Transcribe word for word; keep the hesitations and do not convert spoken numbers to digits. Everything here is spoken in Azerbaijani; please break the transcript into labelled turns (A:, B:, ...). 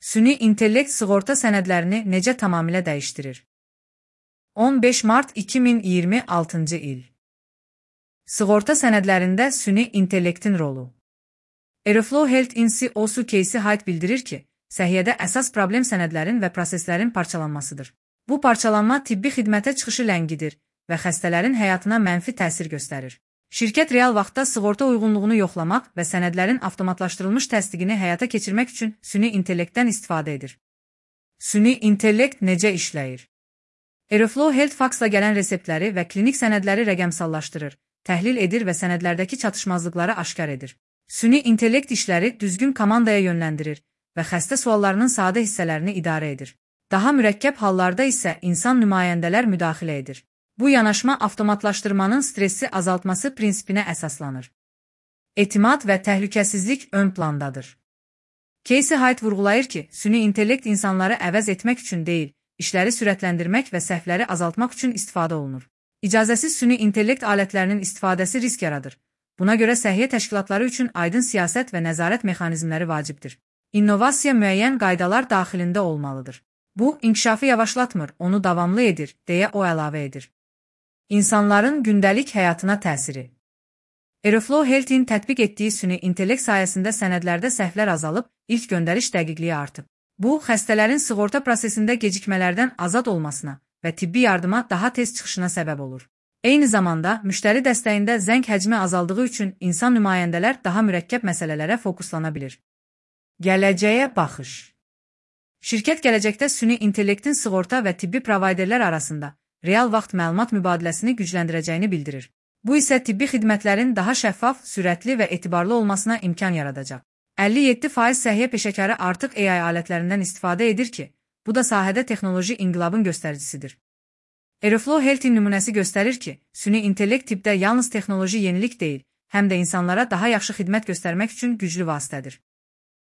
A: Süni intellekt sığorta sənədlərini necə tamamilə dəyişdirir? on beş mart iki min iyirmi altıncı il. Sığorta sənədlərində süni intellektin rolu. Aeroflow Health İnc O S U Casey Hyde bildirir ki, səhiyyədə əsas problem sənədlərin və proseslərin parçalanmasıdır. Bu parçalanma tibbi xidmətə çıxışı ləngidir və xəstələrin həyatına mənfi təsir göstərir. Şirkət real vaxtda sığorta uyğunluğunu yoxlamaq və sənədlərin avtomatlaşdırılmış təsdiqini həyata keçirmək üçün süni intellektdən istifadə edir. Süni intellekt necə işləyir? Aeroflow Health faksla gələn reseptləri və klinik sənədləri rəqəmsallaşdırır, təhlil edir və sənədlərdəki çatışmazlıqları aşkar edir. Süni intellekt işləri düzgün komandaya yönləndirir və xəstə suallarının sadə hissələrini idarə edir. Daha mürəkkəb hallarda isə insan nümayəndələr müdaxilə edir. Bu yanaşma avtomatlaşdırmanın stressi azaltması prinsipinə əsaslanır. Etimad və təhlükəsizlik ön plandadır. Casey Hyde vurğulayır ki, süni intellekt insanları əvəz etmək üçün deyil, işləri sürətləndirmək və səhvləri azaltmaq üçün istifadə olunur. İcazəsiz süni intellekt alətlərinin istifadəsi risk yaradır. Buna görə səhiyyə təşkilatları üçün aydın siyasət və nəzarət mexanizmləri vacibdir. İnnovasiya müəyyən qaydalar daxilində olmalıdır. Bu, inkişafı yavaşlatmır, onu davamlı edir, deyə o əlavə edir. İnsanların gündəlik həyatına təsiri. Aeroflow Health-in tətbiq etdiyi süni intellekt sayəsində sənədlərdə səhvlər azalıb, ilk göndəriş dəqiqliyi artıb. Bu, xəstələrin sığorta prosesində gecikmələrdən azad olmasına və tibbi yardıma daha tez çıxışına səbəb olur. Eyni zamanda, müştəri dəstəyində zəng həcmi azaldığı üçün insan nümayəndələr daha mürəkkəb məsələlərə fokuslana bilir. Gələcəyə baxış. Şirkət gələcəkdə süni intellektin sığorta və tibbi provayderlər arasında real vaxt məlumat mübadiləsini gücləndirəcəyini bildirir. Bu isə tibbi xidmətlərin daha şəffaf, sürətli və etibarlı olmasına imkan yaradacaq. əlli yeddi faiz səhiyyə peşəkarı artıq A I alətlərindən istifadə edir ki, bu da sahədə texnoloji inqilabın göstəricisidir. Aeroflow Health-in nümunəsi göstərir ki, süni intellekt tibbdə yalnız texnoloji yenilik deyil, həm də insanlara daha yaxşı xidmət göstərmək üçün güclü vasitədir.